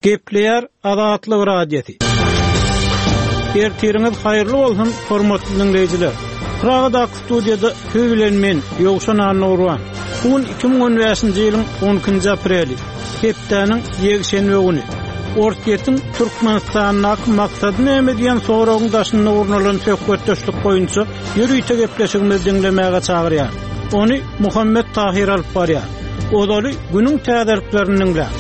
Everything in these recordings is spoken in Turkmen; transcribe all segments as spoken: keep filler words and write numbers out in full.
Gepleýär Azatlyk Radiosy. Ertiriňiz haýyrly bolsun, hormatly diňleýjiler. Pragadaky studiýada siz bilen men, Ýowşan Annagurban. Bu gün iki müň on bäşinji ýylyň on ikinji apreli, hepdäniň ýekşenbe güni. Orsýetiň Türkmenistandaky maksady näme diýen soragyň daşynda gurnalan söhbetdeşlik boýunça ýörite gepleşigimizi diňlemäge çagyrýar. Ony Muhammet Tahir alyp barýar. Ozaly günüň täzeliklerini diňläň.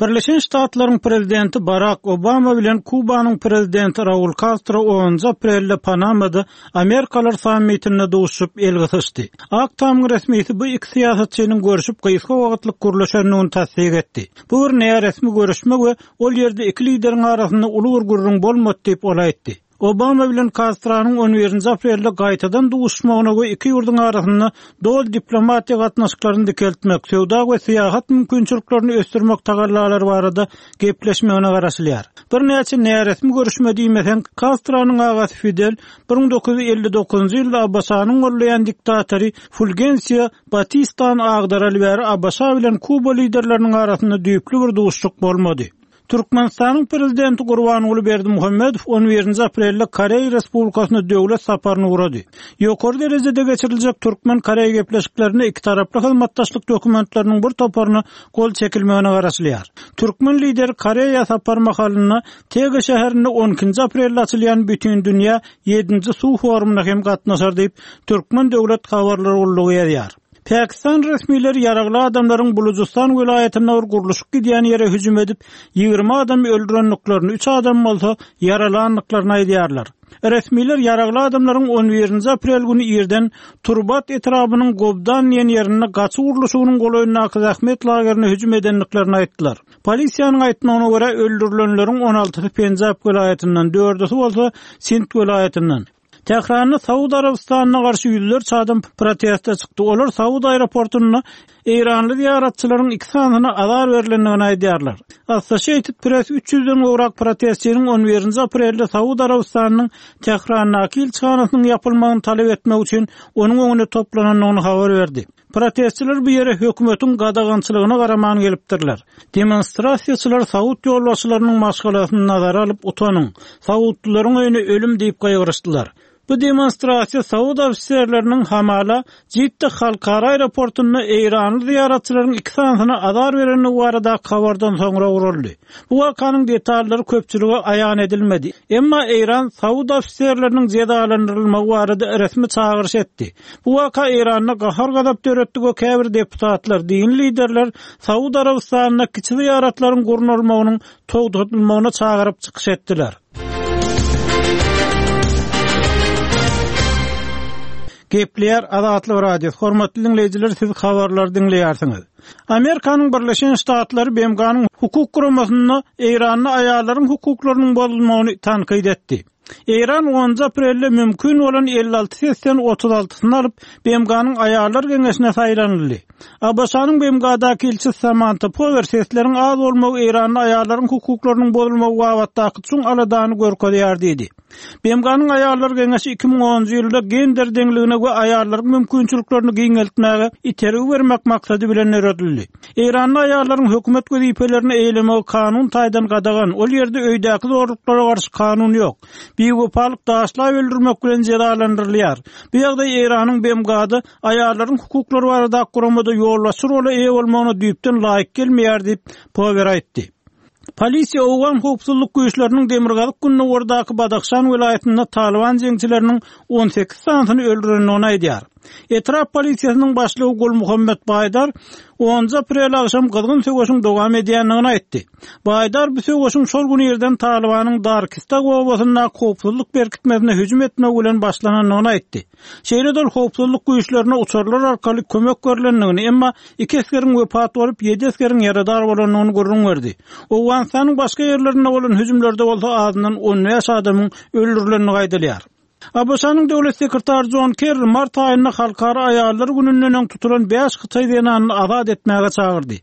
Birleşen Ştatlaryň prezidenti Barak Obama bilen Kubanyň prezidenti Raul Kastro onunjy aprelde Panamada Amerikalar sammitinde duşup el gysyşdy. Ak Tamyň resmisi bu iki syýasatçynyň görüşip gysga wagtlyk gürleşendigini tassyk etdi. Bu bir näresmi görüşme we ol ýerde iki lideriň arasynda uly bir gürrüň bolmady diýip ol aýtdy. Obama bilen Kastronyň on birinji aprelde gaýtadan duşmagyna we iki ýurduň arasynda doly diplomatiýa gatnaşyklaryny dikeltmek, söwda we syýahat mümkinçiliklerini ösdürmek tagallalary barada gepleşmegine garaşylýar. Bir näçe näresmi görüşme diýmesen, Kastronyň agasy Fidel bir müň dokuz ýüz elli dokuzynjy ýylda ABŞ-nyň gollaýan diktatory Fulgencio Batistany agdaraly bäri ABŞ bilen Kuba liderleriniň arasynda düýpli bir duşuşyk bolmady. Türkmenistanyň prezidenti Gurbanguly Berdimuhamedow on birinji aprelde Koreýa Respublikasyna döwlet saparyny ugrady. Ýokary derejede geçiriljek Türkmen-Koreý gepleşiklerinde iki taraply hyzmatdaşlyk dokumentleriniň bir toparyna gol çekilmegine garaşylýar. Türkmen lideri Koreýa sapar mahalynda Tege şäherinde on ikinji aprelde açylýan Bütün Dünýä ýedinji suw forumuna hem gatnaşar diýip, Türkmen döwlet habarlar gullugy ýazýar. Pakistan resmileri ýaragly adamlaryň Bulujystan welaýatynda bir gurluşyk gidýän ýere hüjüm edip, ýigrimi adamy öldürendiklerini, üç adam bolsa ýaralandyklaryny aýdýarlar. Resmiler ýaragly adamlaryň on birinji aprel güni irden Turbat etrabының Gobdan diýen ýerinde gaçy gurluşygynyň golaýyndaky zähmet lagerine hüjüm edendiklerini aýtdylar. Polisiýanyň aýtmagyna görä öldürilenleriň on altysy Penjap welaýatyndan, dördüsi bolsa Sint welaýatyndan. Tähranda Saud Arabystanyna garşy ýüzlerçe adam proteste çykdy. Olar Saud aeroportunda Eýranly ziýaratçylaryň iki sanyna azar berilendigini aýdýarlar. Associated Press üç ýüzden gowrak protestçiniň on birinji aprelde Saud Arabystanynyň Tährandaky ilçihanasynyň ýapylmagyny talap etmek üçin onuň öňünde toplanandygyny habar berdi. Protestçiler bu ýere hökümetiň gadagançylygyna garaman gelipdirler. Demonstrasiýaçylar Saud ýolbaşçylarynyň maşgalasyny nazara alyp utanyň, Saudlylaryň öýüne ölüm diýip gaýgyryşdylar. Bu demonstrasiýa Saud ofiserleriniň hamala Jidda halkara aeroportunda Eýranly ziýaratçylaryň iki sanyna azar berendigi barada habardan soňra guraldy. Bu wakanyň detallary köpçülige aýan edilmedi. Emma Eýran Saud ofiserleriniň jezalandyrylmagy barada resmi çagyryş etdi. Bu waka Eýranda gahar-gazap döretdi we käbir deputatlar, din liderler Saud Arabystanyna kiçi ziýaratlaryň gurnalmagynyň togtatylmagyna çagyryp çykyş etdiler. Gepleýär Azatlyk Radiosy. Hormatly dinleýjiler, siz habarlary dinleýärsiňiz. Amerikanyň Birleşen Ştatlary B M G-nyň hukuk guramasynda Eýranda aýallaryň hukuklarynyň bozulmagyny tankyt etdi. Eýran onunjy aprelde mümkin bolan elli alty sesden otuz altysyny alyp, B M G-nyň aýallar geňeşine saýlanyldy. A B Ş-nyň B M G-daky ilçisi Samantha Power sesleriň az bolmagy Eýranda aýallaryň hukuklarynyň bozulmagy babatdaky çuň aladany görkezýär diýdi. B M G-nyň aýallar geňeşi iki müň onunjy ýylda gender deňligine we aýallaryň mümkinçiliklerini giňeltmäge itergi bermek maksady bilen döredildi. Eýranda aýallaryň hökümet wezipelerini eýlemegi kanun taýdan gadagan, ol ýerde öýdäki zorluklara garşy kanun ýok. Biwepalyk daşlap öldürmek bilen jezalandyrylýar. Bu ýagdaý Eýranyň B M G-da aýallaryň hukuklary barada guramada ýolbaşçy rola eýe bolmagyna düýpden laýyk gelmeýär diýip Power aýtdy. Polisiýa Owgan howpsuzlyk güýçleriniň Demirgazyk Gündogardaky Badahşan welaýatynda Taliban jeňçileriniň on sekiz sanysyny öldürendigini aýdýar. Etrap polisiýasynyň başlygy Gul Muhammed Baýdar onunjy aprel agşam gyzgyn söweşiň dowam edýändigini aýtdy. Baýdar bu söweşiň şol gün irden Talibanyň Darkista obasyndaky howpsuzlyk berkitmesine hüjüm etmek bilen başlanandygyny aýtdy. Şeýle-de ol howpsuzlyk güýçlerine uçarlar arkaly kömek berlendigini, emma iki esgeriň wepat bolup, ýedi esgeriň ýaradar bolandygyny gürrüň berdi. Owganystanyň başga ýerlerinde bolan hüjümlerde bolsa azyndan on bäş adamyň öldürilendigi aýdylýar. ABŞ-nyň döwlet sekretary Jon Kerri mart aýynda Halkara aýallar gününden öň tutulan bäş hytaý zenanyny azat etmäge çagyrdy.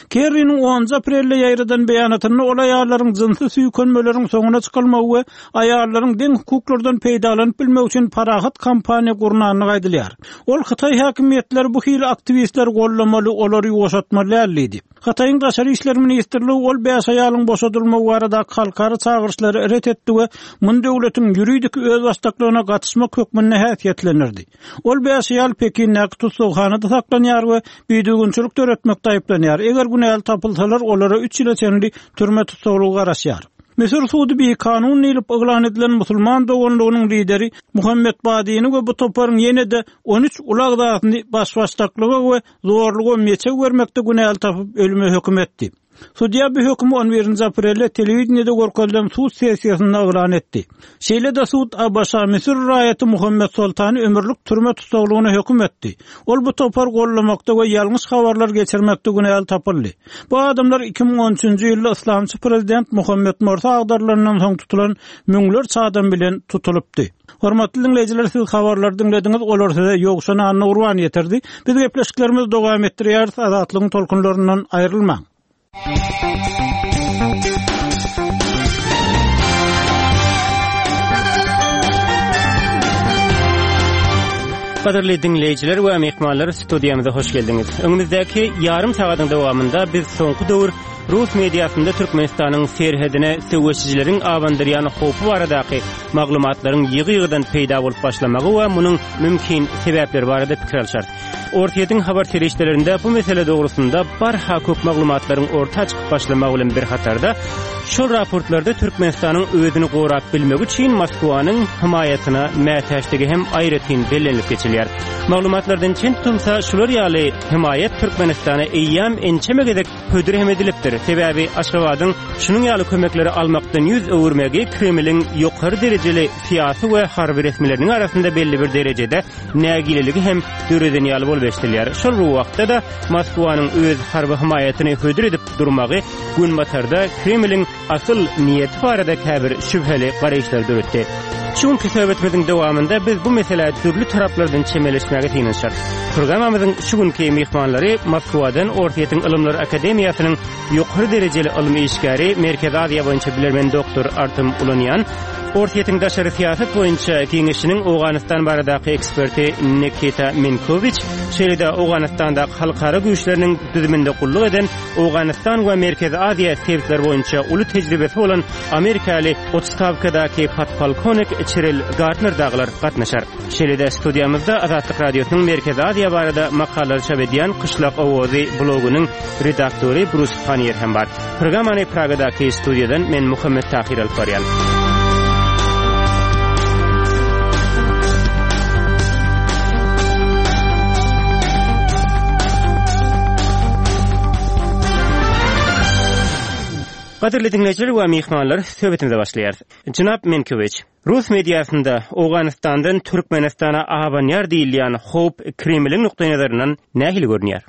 Kerriniň onunjy aprelde ýaýradan beýanatynda ol aýallaryň jynsy süýkenmeleriň soňuna çykylmagy we aýallaryň deň hukuklardan peýdalanyp bilmegi üçin parahat kampaniýa gurnandygy aýdylýar. Ol hytaý häkimiýetleri bu hili aktiwistleri gollamaly, olary ýuwaşatmaly däl diýdi. Hytaýyň Daşary işler ministrligi ol bäş aýalyň boşadylmagy baradaky halkara çagyryşlary ret etdi we muny döwletiň ýuridik özbaşdaklygyna gatyşmak hökmünde häsiýetlendirdi. Ol bäş aýal Pekindäki tussaghanada saklanýar we bidüzgünçilik döretmekde aýyplanýar. Eger günäli tapylsalar, olara üç ýyla çenli türme tussaglygy garaşýar. Müsür sudy bikanun diýlip yglan edilen musulman doganlygynyň lideri Muhammed Badini we bu toparyň ýene-de on üç uly agzasyny baş-başdaklyga we zorluga meçew bermekde günäli tapyp ölüme höküm etdi. Sudýa bu hökümi on birinji aprelde telewideniýede görkezilen sud sessiýasynda yglan etdi. Şeýle-de sud ABŞ Müsür raýaty Muhammed Soltany ömürlik türme tussaglygyna höküm etdi. Ol bu topar gollamakda we ýalňyş habarlar geçirmekde günäli tapyldy. Bu adamlar iki müň on üçünji ýylda yslamçy prezident Muhammed Morsi agdarylandan soň tutulan müňlerçe adam bilen tutulypdy. Hormatly dinleýjiler, siz habarlary diňlediňiz, olar size Ýowşan Anna Gurban ýetirdi. Biz gepleşiklerimizi dowam etdirýäris, Azatlygyň tolkunlaryndan aýrylmaň. Gadyrly dinleýjiler we myhmanlar, studiýamyza hoş geldiňiz. Öňümizdäki ýarym sagatyň dowamynda biz soňky döwür Rus mediasynda Türkmenistanyň serhedine söweşijileriň abandyrýan howpy baradaky maglumatlaryň ýygy-ýygydan peýda bolup başlamagy we munuň mümkin sebäpleri barada pikir alşarys. Orsýetiň habar serişdelerinde bu mesele dogrusynda barha köp maglumatlaryň orta çykyp başlamagy bilen bir hatarda şol raportlarda Türkmenistanyň özüni gorap bilmegi üçin Moskwanyň himaýatyna mätäçdigi hem aýratyn bellenilip geçilýär. Maglumatlardan çen tutulsa, şular ýaly himaýat Türkmenistana eýýäm ençeme gezek hödür hem edilipdir. Sebäbi Aşgabadyň şunuň ýaly kömekleri almakdan ýüz öwürmegi Kremliň ýokary derejeli syýasy we harby resmileriniň arasynda belli bir derejede nägileligi hem döreden ýaly bolup eşidilýär. Şol bir wagtda-da Moskwanyň öz harby himaýatyny hödür edip durmagy Günbatarda Kremliň asyl niýeti barada käbir şübheli garaýyşlar döretdi. Şu günki söhbetimiziň dowamynda biz bu meselä dürli taraplardan çemeleşmäge synanyşarys. Programmamyzyň şu günki myhmanlary Moskwadan Orsýetiň Ylymlar Akademiýasynyň ýokary derejeli ylmy işgäri, Merkezi Aziýa boýunça bilermen doktor Artem Ulanýan, Orsýetiň daşary syýasat boýunça geňeşiniň Owganystan baradaky eksperti Nikita Minkowiç, şeýle-de Owganystandaky halkara güýçleriniň düzüminde gulluk eden Owganystan we Merkezi Aziýa sebitleri boýunça uly tejribesi bolan Amerikaly otstawkadaky podpolkownik Çiril Gardner dagylar gatnaşar. Şeýle-de studiýamyzda Azatlyk Radiosynyň Merkezi Aziýa barada makalalary çap edýän Kyşlak Owazy blogunyň redaktory Brus Panier hem bar. Programmany Pragadaky studiýadan men Muhammet Tahir alyp barýan. Gadyrly dinleýjiler we myhmanlar, söhbetimize başlaýarys. Jenap Minkowiç, Rus mediasynda Owganystandan Türkmenistana abanýar diýilýän howp Kremliň nukdaýnazaryndan nähili görünýär?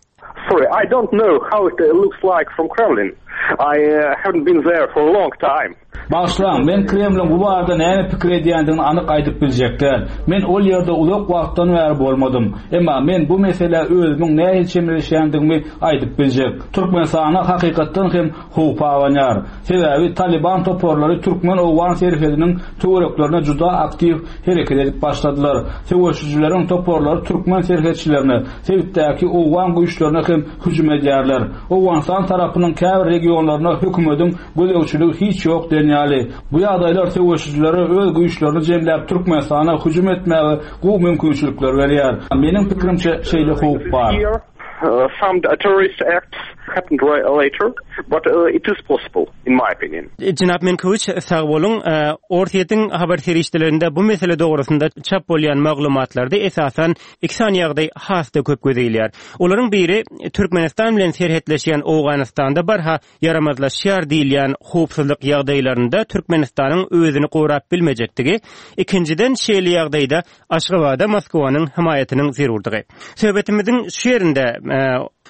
Sorry, I don't know how it looks like from Kremlin. I, uh, haven't been there for a long time. Bağışlaň, men Kremliň bu barada näme pikir edýändigini anyk aýdyp biljek däl. Men ol ýerde uzak wagtdan bäri bolmadym. Emma men bu meselä özümiň nähili çemeleşýändigimi aýdyp biljek. Türkmenistana hakykatdan hem howp abanýar. Sebäbi Taliban toparlary Türkmen-Owgan serhediniň töwereklerine juda aktiw hereket edip başladylar. Söweşijileriň toparlary türkmen serhetçilerine, sebitdäki Owgan güýçlerine hem hüjüm edýärler. Owganystan tarapynyň käbir regionlaryna hökümetiň gözegçiligi hiç ýok denýäli. Bu ýagdaýlar söweşijilere öz güýçlerini jemläp Türkmenistana hüjüm etmäge gowy mümkinçilikler berýär. Meniň pikrimçe şeýle howp bar. Uh, some terrorist acts happened later, but, uh, it is possible, in my opinion. Jenap Minkowiç, sag boluň. Uh, Orsýetiň habar serişdelerinde bu mesele dogrusynda çap bolýan maglumatlarda esasan iki sany ýagdaý has-da köp göze ilýär. Olaryň biri Türkmenistan bilen serhetleşýän Owganystanda barha ýaramazlaşýar diýilýän howpsuzlyk ýagdaýlarynda Türkmenistanyň özüni gorap bilmejekdigi, ikinjiden şeýle ýagdaýda Aşgabada Moskwanyň himaýatynyň zerurdygy. Söhbetimiziň şu ýerinde, e,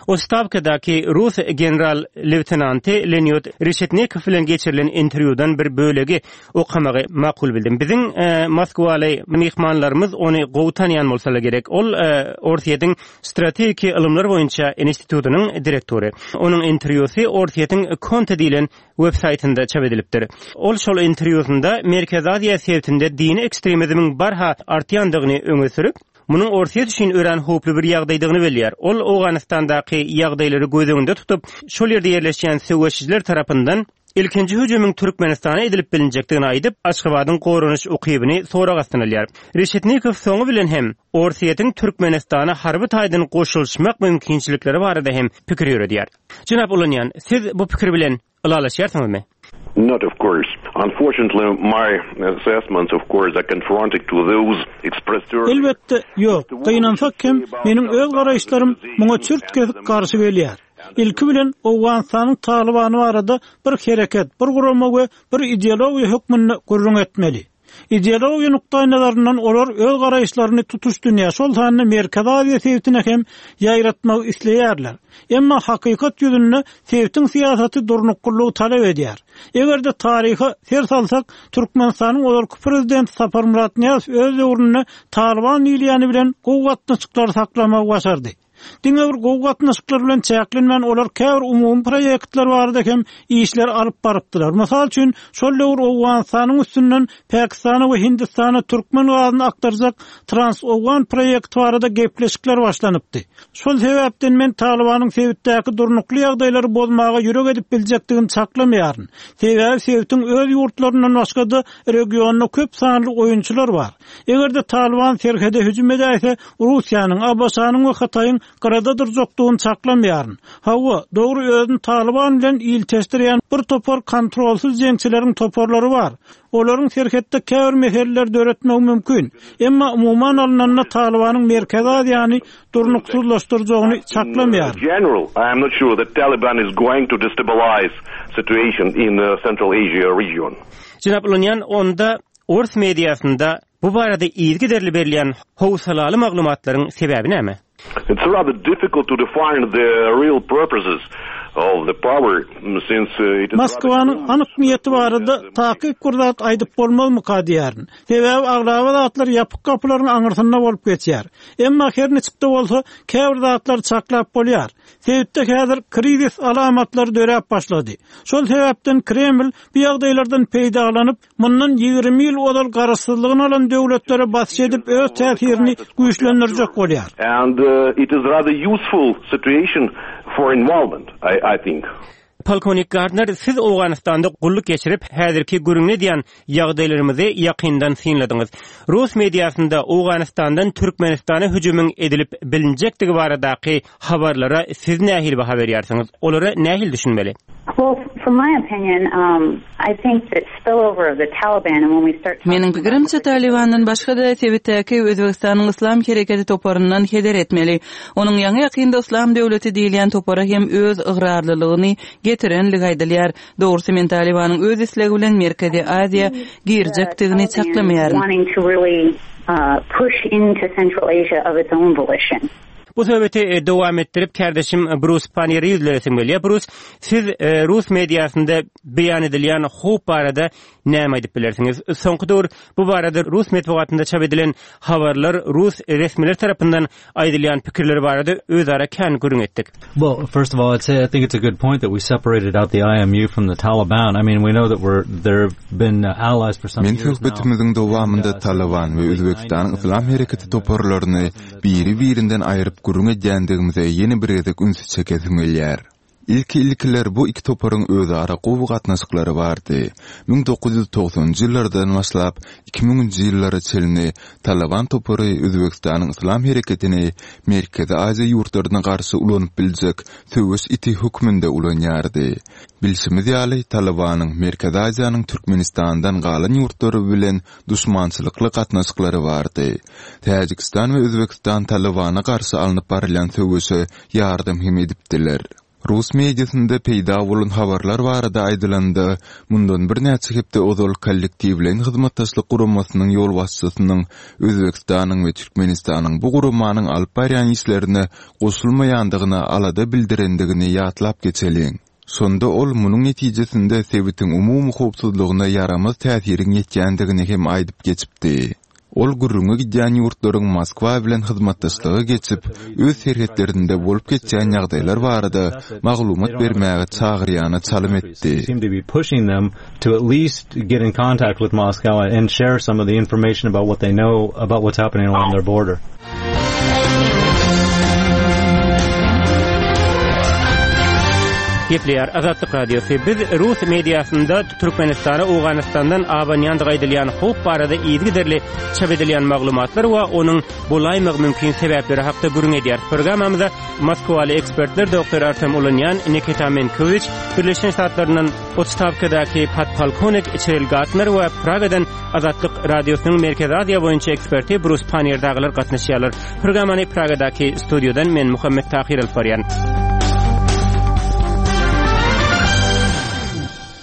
Otstawkadaky rus general-leýtenanty Leonid Reşetnikow bilen geçirilen interwýudan bir bölegi okamagy makul bildim. Biziň e, Moskwaly myhmanlarymyz ony gowy tanýan bolsalar gerek. Ol e, Orsýetiň strategik ylymlar boýunça institutynyň direktory. Onuň interwýusy Orsýetiň Konta diýlen web saýtynda çap edilipdir. Ol şol interwýusynda Merkezi Aziýa sebitinde dini ekstremizmiň barha artýandygyny öňe sürüp, munuň Orsýet üçin örän howply bir ýagdaýdygyny belleýär. Ol Owganystandaky ýagdaýlary göz öňünde tutup, şol ýerde ýerleşýän söweşijiler tarapyndan ilkinji hüjümiň Türkmenistana edilip bilinjekdigini aýdyp, Aşgabadyň goranyş ukybyny sorag astyna alýar. Reşetnikow soňy bilen hem Orsýetiň Türkmenistana harby taýdan goşulyşmak mümkinçilikleri barada hem pikir ýöredýär. Jenap Ulanýan, siz bu pikir bilen ylalaşýarsyňyzmy? Not of course. Unfortunately, my assessments, of course, are confronted to those expressed earlier. Elbetde, ýok. Gynansak hem meniň öz garaýyşlarym muňa çürt kesik garşy gelýär. Ilki bilen Owganystanyň Talybany barada bir hereket, bir gurama we bir ideologiýa hökmünde gürrüň etmeli. Ideologiýa nukdaýnazaryndan olar öz garaýyşlaryny tutuş dünýä, şol sanda Merkezi Aziýa sebitine hem ýaýratmak isleýärler. Emma hakykat ýüzünde sebitiň syýasaty durnuklylygy talap edýär. Eger-de taryha ser salsak, Türkmenistanyň ozalky prezidenti Saparmyrat Nyýazow öz döwründe Talyban diýilýäni bilen gowy gatnaşyklary saklamagy başardy. Diňe bir gowy gatnaşyklar bilen çäklenmän olar käbir umumy proýektler barada hem işler alyp barypdylar. Mysal üçin, şol döwür Owganystanyň üstünden Pakistana we Hindistana türkmen gazyny aktarjak Trans-Owgan proýekti barada gepleşikler başlanypdy. Şol sebäpden men Talybanyň sebitdäki durnukly ýagdaýlary bozmaga ýürek edip biljekdigini çaklamaýaryn. Sebäbi sebitiň öz ýurtlaryndan başga-da regionda köp sanly oýunçylar bar. Eger-de Talyban serhede hüjüm edäýse, Russiýanyň, ABŞ-nyň we Hytaýyň gyrada durjakdygyny çaklamaýaryn. Hawa, dogry özüni Talyban bilen ilteşdirýän bir topar kontrolsuz jeňçileriň toparlary bar. Olaryň serhetde käbir meseleler döretmegi mümkin. Emma umuman alnanda Talybanyň Merkezi Aziýany durnuksyzlaşdyrjagyny çaklamaýaryn. General, I am not sure that Taliban is going to destabilize situation in the Central Asia region. Jenap Ulanýan, onda Ors mediasynda bu barada yzygiderli berilýän howsalaly maglumatlaryň sebäbi näme? It's rather difficult to define the real purposes of the power since uh, it is Moskwanyň anyk niýeti barada takyk bir zat aýdyp bolmazmyka diýýärin. Sebäbi aglaba zatlar ýapyk gapylaryň aňyrsynda bolup geçýär. Emma her niçik-de bolsa käbir zatlar çaklap bolýar. Sebitde häzir krizis alamatlary döräp başlady. Şol sebäpden Kreml bu ýagdaýlardan peýdalanyp, mundan ýigrimi ýyl ozal garaşsyzlygyny alan döwletlere basyş edip öz täsirini güýçlendirjek bolýar. And uh, it is rather useful situation for involvement, I, I think. Polkownik Gardner, siz Owganystanda gulluk geçirip, häzirki gürrüň edýän ýagdaýlarymyzy ýakyndan synladyňyz. Rus mediasynda Owganystandan Türkmenistana hüjümiň edilip bilinjekdigi baradaky habarlara siz nähili baha berýärsiňiz? Olara nähili düşünmeli? Well, from my opinion, um, I think that spillover of the Taliban and when we start Meniň pikirimçe Talibandan başga-da sebitdäki Özbekistanyň Islam hereketi toparyndan heder etmeli. Onuň ýaňy ýakynda Islam döwleti diýilýän topara hem öz ygrarlylygyny getirenligi aýdylýar. Dogrusy men Talibanyň öz islegi bilen Merkezi Aziýa girjekdigini çaklamaýaryn. wanting to really uh, push into Central Asia of its own volition. Bu söhbeti e, dowam etdirip kardeşim Bruce Panniýere ýüzlenesim gelýär. Bruce, siz e, Rus mediasynda beýan edilýän howp barada näme aýdyp bilersiňiz? Soňky döwür bu barada Rus metbugatynda çap edilen habarlar Rus resmiler tarapyndan aýdylýan pikirler barada özara kän gürrüň etdik. Well, first of all, I'd say I think it's a good point that we separated out the I M U from the Taliban. I mean, we know that we're there have been uh, allies for some Men years now. söhbetimiziň dowamynda Taliban we Özbekistanyň Islam hereketi toparlaryny biri-birinden aýryp gürrüň edýändigimize ýene bir gezek ünsi çekesim gelýär. Ilki ilkiler bu iki toparyň özara gowy gatnaşyklary bardy. müň dokuz ýüz togsanynjy ýyllardan başlap iki müňünji ýyllara çenli Taliban topary Özbekistanyň Islam hereketini Merkezi Aziýa ýurtlaryna garşy ulanyp biljek söweş iti hökmünde ulanýardy. Bilşimiz ýaly, Talibanyň Merkezi Aziýanyň Türkmenistandan galan ýurtlary bilen duşmançylykly gatnaşyklary bardy. Täjikistan we Özbekistan Talibana garşy alnyp barylýan söweşe ýardam hem edipdiler. Rus mediasynda peýda bolan habarlar barada aýdylanda, mundan birnäçe hepde ozal Kollektiwleýin hyzmatdaşlyk guramasynyň ýolbaşçysynyň Özbegistanyň we Türkmenistanyň bu guramanyň alyp barýan işlerine goşulmaýandygyna alada bildirendigini ýatlap geçeliň. Şonda ol munuň netijesinde sebitiň umumy howpsuzlygyna ýaramaz täsiriň ýetýändigini hem aýdyp geçipdi. Ol gürrüňi gidýän ýurtlaryň Moskwa bilen hyzmatdaşlyga geçip, öz serhetlerinde bolup geçýän ýagdaýlar barada maglumat bermäge çagyrýana çalym etdi. seem to be pushing them to at least get in contact with Moscow and share some of the information about what they know about what's happening along their border. Gepleýär Azatlyk Radiosy. Biz rus mediasynda Türkmenistana Owganystandan abanýandygy aýdylýan howp barada yzygiderli çap edilýän maglumatlar we onuň bolaýmagy mümkin sebäpleri hakda gürrüň edýär. Programmamyzda Moskwaly ekspertler Doktor Artem Ulunýan, Nikita Menkowiç, Birleşen Ştatlaryndan otstawkadaky podpolkownik Çiril Gartner we Pragadan Azatlyk Radiosynyň Merkezi Aziýa boýunça eksperti Brus Pannier dagylar gatnaşýarlar. Programmany Pragadaky studiýadan men Muhammet Tahir alyp barýan.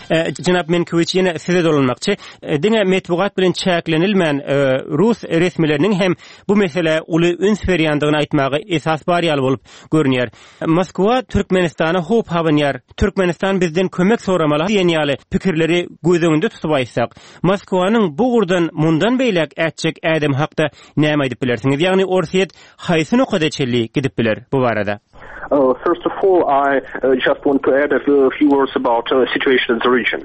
E, Jenap Menkowiç ýene size dolanmakçy. E, Diňe metbugat bilen çäklenilmän e, rus resmileriniň hem bu meselä uly üns berýändigini aýtmaga esas bar ýaly bolup görünýär. Moskwa Türkmenistana howp abanýar. Türkmenistan bizden kömek soramaly diýen ýaly pikirleri göz öňünde tutup aýtsak, Moskwanyň bu ugurdan mundan beýläk ätjek ädim hakda näme aýdyp bilersiňiz? Ýagny Orsýet haýsy nokada çenli gidip biler bu barada? Uh, first of all, I uh, just want to add a few, few words about uh, situation in the region.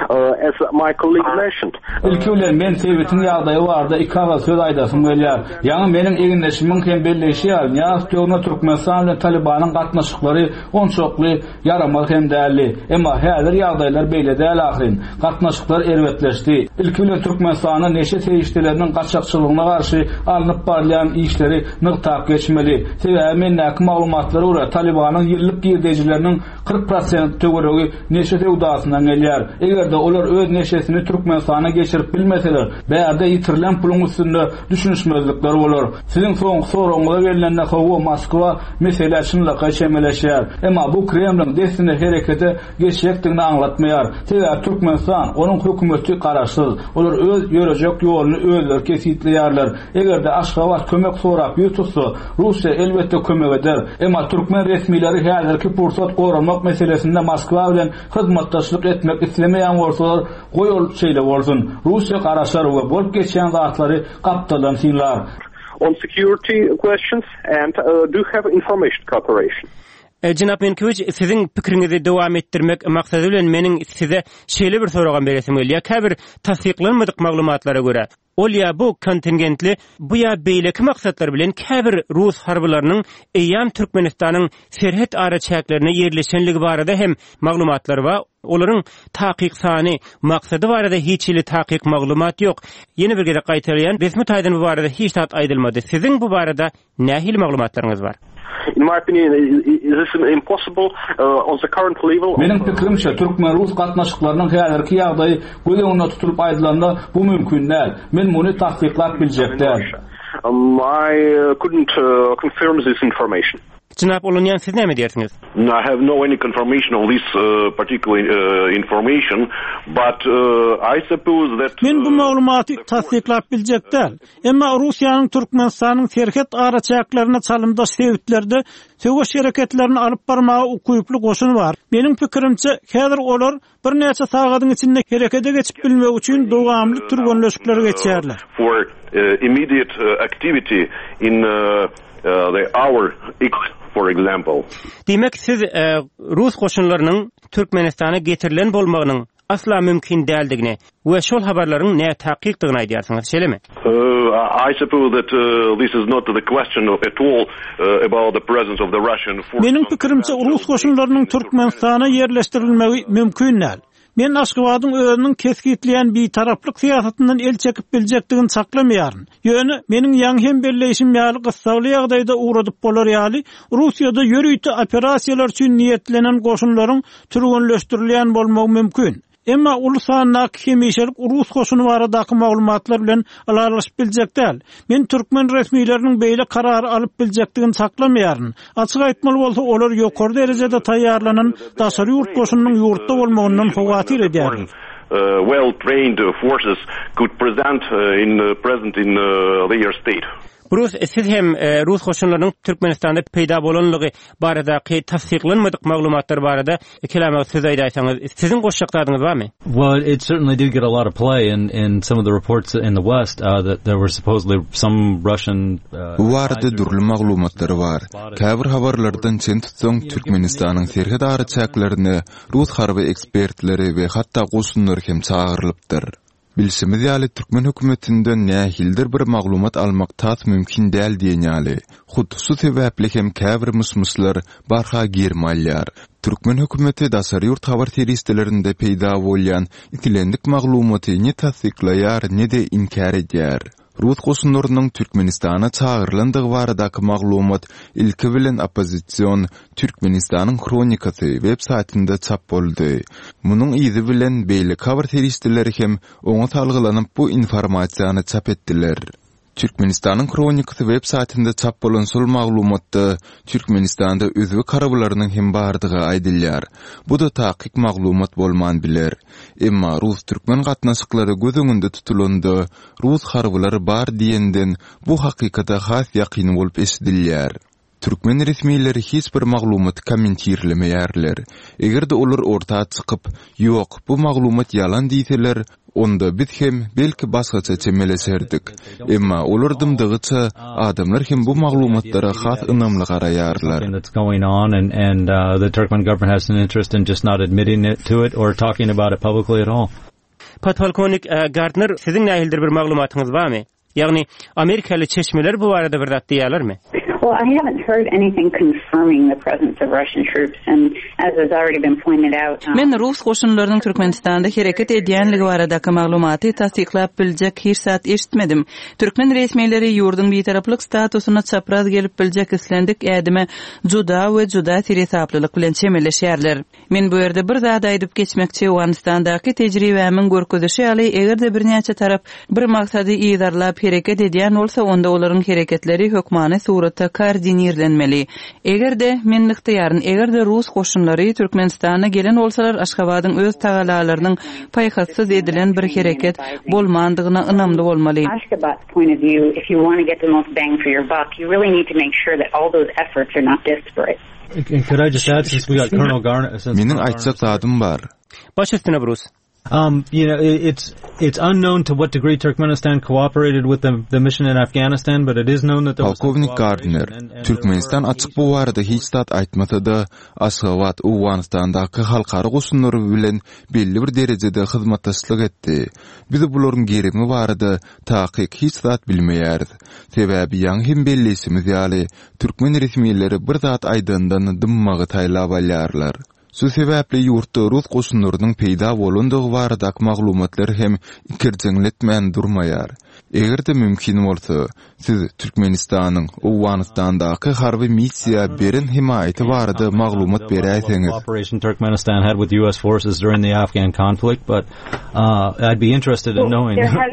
Uh, as my colleague mentioned, Ilki bilen men sebitiň ýagdaýy barada iki agyz söz aýdasym gelýär. Ýaňy meniň egindeşimiň hem belleýşi ýaly, Nyýazow döwründe Türkmenistan bilen Talibanyň gatnaşyklary onçakly ýaramaz hem däldi. Emma häzir ýagdaýlar beýle däl ahyryn. Gatnaşyklar erbetleşdi. Ilki bilen Türkmenistanda neşe serişdeleriniň gaçakçylygyna garşy alnyp barylýan işleri nygtap geçmeli. Sebäbi mendäki maglumatlara görä Talibanyň ýyllyk girdejileriniň kyrk prosent töweregi neşe söwdasyndan gelýär. Eger-de olar öz neşesini Türkmenistana geçirip bilmeseler, bärde ýitirilen puluň üstünde düşünişmezlikler bolar. Siziň soňky soragyňyza gelnende hawa Moskwa meselä çynlakaý çemeleşýär. Emma bu Kremliň dessine herekete geçjekdigini aňlatmaýar. Sebäbi Türkmenistan, onuň hökümeti garaşsyz. Olar öz ýörejek ýoluny özleri kesgitleýärler. Eger-de Aşgabat kömek sorap ýüz tutsa, Russiýa elbetde kömek eder. Emma türkmen resmileri häzirki pursat goranmak meselesinde Moskwa bilen hyzmatdaşlyk etmek islemeýän bolsalar, goý ol şeýle bolsun. Russiýa garaşar we bolup geçýän zatlary gapdaldan synlar. on security questions and uh, do have information cooperation. E, Jenap Menkowiç, siziň pikiriňizi dowam etdirmek maksady bilen meniň size şeýle bir soragam beresim gelýär. Käbir tassyklanmadyk maglumatlara görä, ol ýa bu kontingentli bu ýa beýleki maksatlar bilen käbir rus harbylarynyň eýýäm Türkmenistanyň serhet araçäklerine ýerleşenligi barada hem maglumatlar bar. Olaryň takyk sany, maksady barada hiç hili takyk maglumat ýok. Ýene bir gezek gaýtalaýan, resmi taýdan bu barada hiç zat aýdylmady. Siziň bu barada nähili maglumatlaryňyz bar? In my opinion, this is impossible uh, on the current level. Meniň pikirimçe Türkmen-Rus gatnaşyklarynyň häzirki ýagdaýy göz öňünde tutulyp aýdylanda bu mümkin däl. Men muny tassyklap biljek däl. Um, I uh, couldn't uh, confirm this information. Jenap Ulunýan siz näme diýersiňiz? No, I have no any confirmation of this uh, particular uh, information, but uh, I suppose that Men bu maglumaty tassyklap biljek däl. Emma Russiýanyň Türkmenistanyň serhet araçäklerine çalymdaş sebitlerde söweş hereketlerini alyp barmaga ukyply goşun bar. Meniň pikirimçe, häzir olar birnäçe sagadyň içinde herekete geçip bilmek üçin dowamly türgenleşikler geçýärler. for uh, immediate uh, activity in uh, uh, the hour X, for example. Diýmek siz e, rus goşunlarynyň Türkmenistana getirilen bolmagynyň asla mümkin däldigini we şol habarlaryň nätakykdygyny aýdýarsyňyz, şeýlemi? Uh, I suppose that uh, this is not the question at all uh, about the presence of the Russian forces. Meniň pikirimçe rus goşunlarynyň Türkmenistana ýerleşdirilmegi mümkin däl. Men Aşgabadyň özüniň kesgitleýän bitaraplyk syýasatyndan el çekip biljekdigini saklamaýaryn. Ýöne meniň ýaňy hem belleýşim ýaly gyssagly ýagdaýda ugradyp bolar ýaly Russiýada ýörite operasiýalar üçin niýetlenen goşunlaryň türgenleşdirilýän bolmagy mümkin. Emma uly sandaky hemişelik rus goşuny baradaky maglumatlar bilen ylalaşyp biljek däl. Men türkmen resmileriniň beýle karary alyp biljekdigini çaklamaýaryn. Açyk aýtmaly bolsa, olar ýokary derejede taýýarlanan daşary ýurt goşunynyň ýurtda bolmagyndan howatyr edýärler. Uh, well-trained forces could present uh, in uh, present in uh, their state. Brus, siz hem e, rus goşunlarynyň Türkmenistanda peýda bolanlygy baradaky tassyklanmadyk maglumatlar barada kelama söz aýdaysaňyz, siziň goşjak zadyňyz barmy? Well, it certainly did get a lot of play in, in some of the reports in the West uh, that there were supposedly some Russian uh, Bu barada dürli maglumatlar bar. Käbir habarlardan çen tutsaň Türkmenistanyň serhet araçäklerine rus harby ekspertleri we hatda goşunlary hem çagyrylypdyr. Bilşimiz ýaly türkmen hökümetinden nähilidir bir maglumat almak tas mümkin däl diýen ýaly. Hut şu sebäpli hem käbir myş-myşlar barha gerim alýar. Türkmen hökümeti daşary ýurt habar serişdelerinde peýda bolýan islendik maglumaty ne tassyklaýar, ne-de inkär edýär. Rus goşunlarynyň Türkmenistana çagyrylandygy baradaky maglumat ilki bilen oppozision Türkmenistanyň Hronikasy web saýtynda çap boldy. Munuň yzy bilen beýleki habar serişdeleri hem oňa salgylanyp bu informasiýany çap etdiler. Türkmenistanyň Hronikasy web saýtynda çap bolan şol maglumatda Türkmenistanda özbek harbylarynyň hem bardygy aýdylýar. Bu da takyk maglumat bolman biler. Emma rus-türkmen gatnaşyklary göz öňünde tutulanda rus harbylary bar diýenden bu hakykata has ýakyn bolup eşidilýär. Türkmen resmileri hiç bir maglumaty kommentirlemeýärler. Eger-de olar orta çykyp, "Ýok, bu maglumat ýalan" diýseler, onda biz hem belki başgaça çemeleşerdik. Emma olar dymdygyça adamlar hem bu maglumatlara has ynamly garaýarlar. something that's going on and and uh, the Turkmen government has an interest in just not admitting it to it or talking about it publicly at all. Podpolkownik e, Gardner, siziň nähilidir bir maglumatyňyz barmy? Ýagny Amerikaly çeşmeler bu barada bir zat diýýärlermi? Well, I haven't heard anything confirming the presence of Russian troops, and as has already been pointed out, um, Men rus goşunlarynyň Türkmenistanda hereket edýänligi baradaky maglumaty tassyklap biljek hiç zat eşitmedim. Türkmen resmileri ýurduň bitaraplyk statusyna çapraz gelip biljek islendik ädime juda we juda seresaplylyk bilen çemeleşýärler. Men bu ýerde bir zat aýdyp geçmekçi Owganystandaky tejribämiň görkezişi ýaly, eger-de birnäçe tarap bir maksady yzarlap hereket edýän bolsa, onda olaryň hereketleri hökmany suratda koordinirlenmeli. Eger-de men nygtaýaryn, eger-de rus goşunlary Türkmenistana gelen bolsalar, Aşgabadyň öz tagalalarynyň paýhassyz edilen bir hereket bolmandygyna ynamly bolmaly. Ashgabat's point of view, if you want to get the most bang for your buck, you really need to make sure that all those efforts are not disparate. And could I just add, since we got Colonel Garner, since Meniň aýtjak zadym bar. Baş üstüne Brus. Um, you know, it, it's it's unknown to what degree Turkmenistan cooperated with the the mission in Afghanistan, but it is known that there was some Polkovnik Gardner, cooperation and- and there Türkmenistan were açyk bu barada hiç zat aýtmasa-da, Aşgabat Owganystandaky halkara goşunlary bilen belli bir derejede hyzmatdaşlyk etdi. Biz bularyň gerimi barada takyk hiç zat bilmeýäris. Sebäbi ýaňy hem belleýşimiz ýaly, türkmen resmileri bir zat aýdandan dymmagy saýlap alýarlar. Şu sebäpli ýurtda rus goşunlarynyň peýda bolandygy baradaky maglumatlar hem ikirjiňletmän durmaýar. Eger-de mümkin bolsa, siz Türkmenistanyň Owganystandaky harby missiýa beren hemaýaty barada maglumat beräýseňiz. Cooperation Turkmenistan had with U S forces during the Afghan conflict, but uh, I'd be interested in knowing. There has,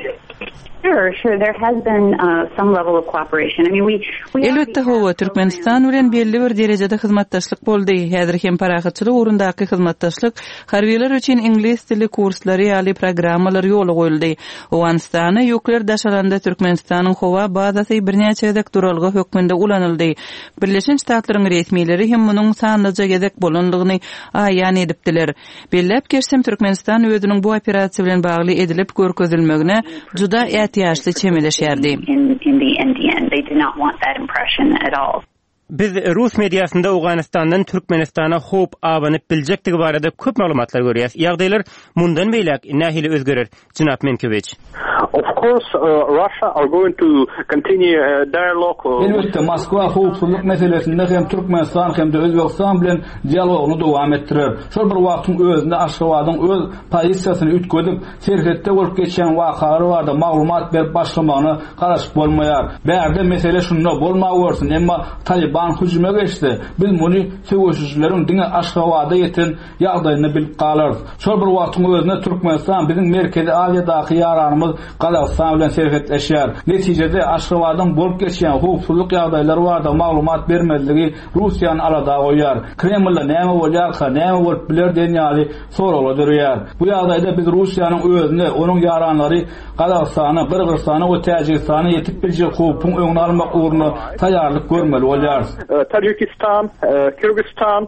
sure, sure. There has been uh, some level of cooperation. I mean, we, we Elbetde hawa Türkmenistan bilen belli bir derejede hyzmatdaşlyk boldy. Häzir hem parahatçylyk ugrundaky hyzmatdaşlyk harbylar üçin iňlis dili kurslary ýaly programmalar ýola goýuldy. Owganystana ýükler daşalanda Türkmenistanyň howa bazasy birnäçe gezek duralga hökmünde ulanyldy. Birleşen Ştatlaryň resmileri hem munuň sanlyja gezek bolanlygyny aýan edipdiler. Belläp geçsem Türkmenistan özüniň bu operasiýa bilen bagly edilip görkezilmegine juda ätiýaçly çemeleşýärdi. in, in the N D N. They did not want that impression at all. Biz rus mediasynda Owganystandan Türkmenistana howp abanyp biljekdigi barada köp maglumatlar görýäs. Ýagdaýlar mundan beýläk nähili özgerer, Jenap Minkewiç? Of course, uh, Russia are going to continue a dialogue. Uh, Elbetde, Moskwa howpsuzlyk meselesinde hem Türkmenistan hem-de Özbegistan bilen dialogyny dowam etdirer. Şol bir wagtyň özünde Aşgabadyň öz pozisiýasyny üýtgedip, serhetde bolup geçýän wakalar barada maglumat berip başlamagyna garaşyp bolmaýar. Bärde mesele şunda bolmawersin, emma Taliban hüjüme geçse, biz muny söweşijileriň diňe Aşgabada ýeten ýagdaýyny bilip galarys. Şol bir wagtyň özünde Türkmenistan biziň Merkezi Aziýadaky ýaranymyz Gazagystan bilen serhetleşýär. Netijede Aşgabadyň bolup geçýän howpsuzlyk ýagdaýlary barada maglumat bermezligi Russiýany alada goýýar. Kremlde näme bolýarka, näme bolup biler diýen ýaly soraglar döreýär. Bu ýagdaýda biz Russiýanyň özüne, onuň ýaranlary Gazagystana, Gyrgyzystana we Täjigistana ýetip biljek howpuň öňüni almak ugrunda taýýarlyk görmeli bolýarys. uh, Tajikistan, uh, Kyrgyzstan,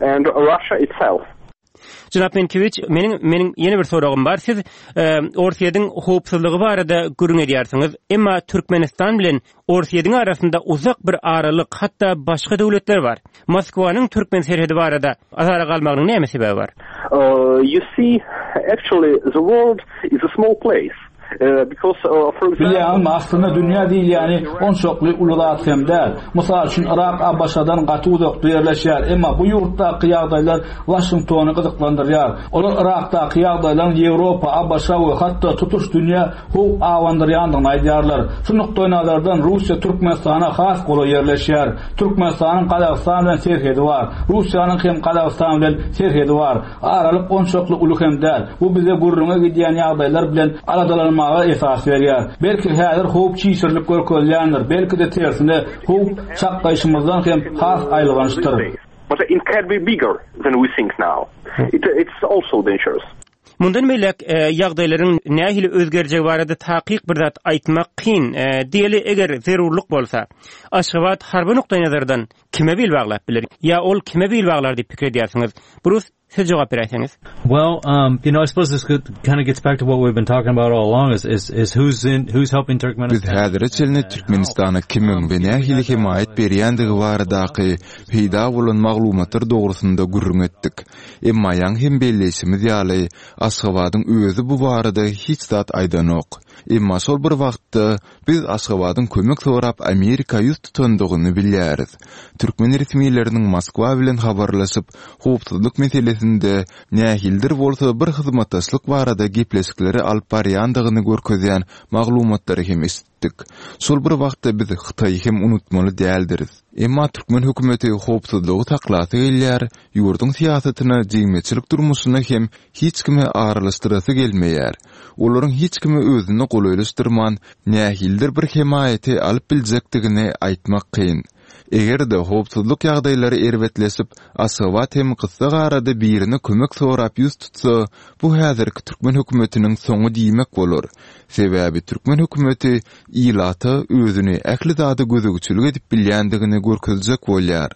and Russia itself. Jenap Minkewiç, meniň meniň ýene bir soragym bar. Siz e, Orsýetiň howpsuzlygy barada gürrüň edýärsiňiz. Emma Türkmenistan bilen Orsýetiň arasynda uzak bir aralyk, hatda başga döwletler bar. Moskwanyň Türkmen serhedi barada azara galmagynyň näme sebebi bar? Uh, you see, actually, the world is a small place. Uh, because, uh, for example, Bilýäňmi, aslynda dünýä diýilýäni onçakly uly zat hem däl. Mysal üçin Irak ABŞ-dan gaty uzakda ýerleşýär, emma bu ýurtdaky ýagdaýlar Washingtony gyzyklandyrýar. Olar Irakdaky ýagdaýlaryň Ýewropa, ABŞ we hatda tutuş dünýä howp abandyrýandygyny aýdýarlar. Şu nukdaý nazardan Russiýa Türkmenistana has golaý ýerleşýär. Türkmenistanyň Gazagystan bilen serhedi bar. Russiýanyň hem Gazagystan bilen serhedi bar. Aralyk onçakly uly hem däl. Bu bize gürrüňe gidýän ýagdaýlar bilen aladalanmaga esas berýär. Belki häzir howp çişirilip görkezilýändir, belki de tersine howp çaklaýşymyzdan hem has aýylgançdyr. But it can be bigger than we think now. It, it's also dangerous. Mundan beýläk e, ýagdaýlaryň nähili özgerjegi barada takyk bir zat aýtmak kyn. E, diýeli eger zerurlyk bolsa, Aşgabat harby nukdaý nazardan kime bil baglap biler? Ýa ol kime bil baglar diýip pikir edýärsiňiz? Bruce, siz jogap beräýseňiz. Well, um, you know, I suppose this kind of gets back to what we've been talking about all along is is, is who's in who's helping Biz Turkmenistan. häzire çenli Türkmenistana kimiň we nähili hemaýat berýändigi baradaky peýda bolan maglumatlar dogrusynda gürrüň etdik. Emma ýaňy hem belleýşimiz ýaly, Aşgabadyň özi bu barada hiç zat aýdanok. Emma şol bir wagtda biz Aşgabadyň kömek sorap Amerika ýüz tutandygyny bilýäris. Türkmen resmileriniň Moskwa bilen habarlaşyp, howpsuzlyk meselesinde nähilidir bolsa bir hyzmatdaşlyk barada gepleşikleri alyp barýandygyny görkezýän maglumatlary hem eşitdik. Şol bir wagtda biz Hytaýy hem unutmaly däldiris. Emma türkmen hökümeti howpsuzlygy saklasy gelýär, ýurduň syýasatyna, jemgyýetçilik durmuşyna hem hiç kimi aralaşdyrasy gelmeýär. Olaryň hiç kimi özüne golaýlaşdyrman, nähilidir bir hemaýaty alyp biljekdigini aýtmak kyn. Eger-de howpsuzlyk ýagdaýlary erbetleşip, Aşgabat hem gysga arada birine kömek sorap ýüz tutsa, bu häzirki türkmen hökümetiniň soňy diýmek bolar. Sebäbi türkmen hökümeti ilata özüni ähli zada gözegçilik edip bilýändigini görkezjek bolýar.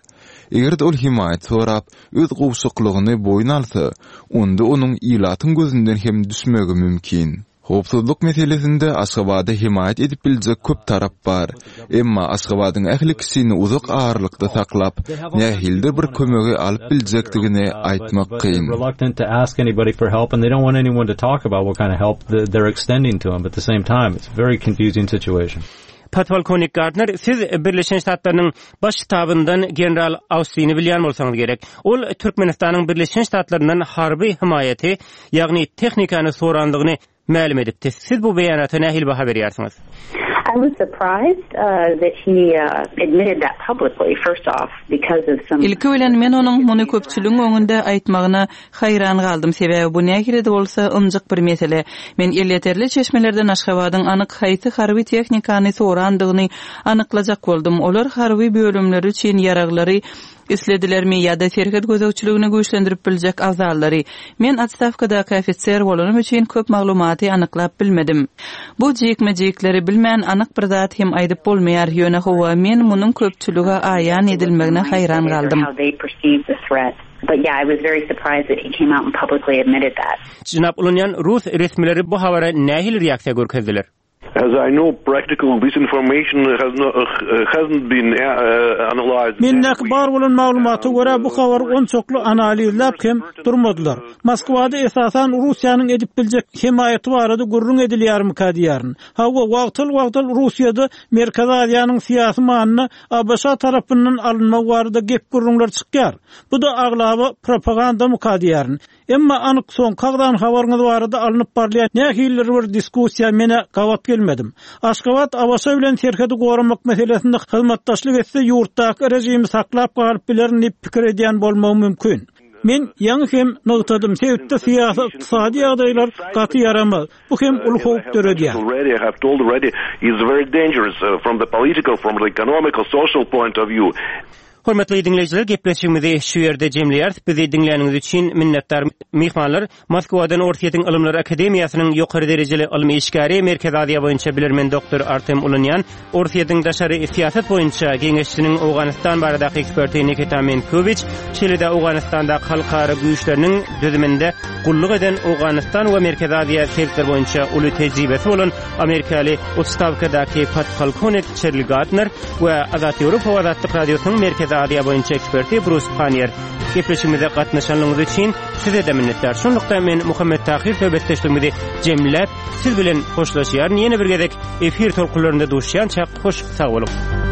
Eger-de ol hemaýat sorap, öz gowşaklygyny boýun alsa, onda onuň ilatyň gözünden hem düşmegi mümkin. Howpsuzlyk meselesinde Aşgabada hemaýat edip biljek köp tarap bar. Emma Aşgabadyň ähli kişini uzak aralykda saklap, nähilidir bir kömegi alyp biljekdigini aýtmak But kyn. they're reluctant to ask anybody for help, and they don't want anyone to talk about what kind of help th- they're extending to them. But at the same time, it's a very confusing situation. Podpolkownik Gardner, siz Birleşen Ştatlarynyň baş ştabyndan General Austini bilýän bolsaňyz gerek. Ol Türkmenistanyň Birleşen Ştatlaryndan harby hemaýaty, ýagny tehnikany sorandygyny mälim edipdi. Siz bu beýanata nähili baha berýärsiňiz? I was surprised uh, that he uh, admitted that publicly, first off, because of some... Ilki bilen men onuň muny köpçüligiň öňünde aýtmagyna haýran galdym. Sebäbi bu nähili bolsa ynjyk bir mesele. Men elýeterli çeşmelerden Aşgabadyň anyk haýsy harby tehnikany sorandygyny anyklajak boldum. Olar harby bölümleri üçin ýaraglary isledilermi ýa-da serhet gözegçiligini güýçlendirip biljek abzallary. Men otstawkadaky ofiser bolanym üçin köp maglumaty anyklap bilmedim. Bu jikme-jikleri bilmän anyk bir zat hem aýdyp bolmaýar. Ýöne hawa men munuň köpçülige aýan edilmegine haýran galdym. How they perceive the threat. But yeah, I was very surprised that he came out and publicly admitted that. Jenap Ulunýan Rus resmileri bu habara nähili reaksiýa görkezdiler? As I know, practically this information has not, uh, hasn't been uh, analyzed. Mendäki bar bolan maglumata görä bu habary onçakly analizläp hem durmadylar. Moskwada esasan Russiýanyň edip biljek hemaýaty barada gürrüň edilýärmikä diýýärin. Hawa, wagtal-wagtal Russiýada Merkezi Aziýanyň syýasy manyny A B Ş tarapyndan alynmagy barada gep gürrüňler çykýar. Bu da aglaba propagandamyka diýýärin. Emma anyk soňky agzan habaryňyz barada alnyp barylýan nähilidir bir diskussiýa menä gabat gelmedim. Aşgabat A B Ş bilen serhedi goramak meselesinde hyzmatdaşlyk etse ýurtdaky rejimi saklap galyp bilerin diýip pikir edýän bolmagy mümkin. Men ýaňy hem nygtadym, sebitde syýasy ykdysady ýagdaýlar gaty ýaramaz. Bu hem uly howp döredýär. Already, I have told already, is very dangerous uh, from the political, from the economical, social point of view. Hormatly diňleýjiler, gepleşigimizi şu ýerde jemleýäris. Bizi diňläniňiz üçin minnetdar. Myhmanlar Moskwadan Orsýetiň Ylymlar Akademiýasynyň ýokary derejeli ylmy işgäri, Merkezi Aziýa boýunça bilermen doktor Artem Ulunýan, Orsýetiň daşary syýasat boýunça geňeşçiniň Owganystan baradaky eksperti Nikita Minkowiç, şeýle-de Owganystandaky halkara güýçleriniň düzüminde gulluk eden Owganystan we Merkezi Aziýa sebitleri boýunça uly tejribesi bolan Amerikaly otstawkadaky podpolkownik Çerli Gardner we Azat Ýewropa Azatlyk Radiosynyň Merkezi Aziýa boýunça eksperti Brus Pannier. Gepleşigimize gatnaşanlygyňyz üçin size-de minnetdar. Şunlukda men Muhammet Tahir söhbetdeşligimizi jemläp, siz bilen hoşlaşýaryn. Ýene bir gezek efir tolkunlarynda duşýança hoş sag boluň.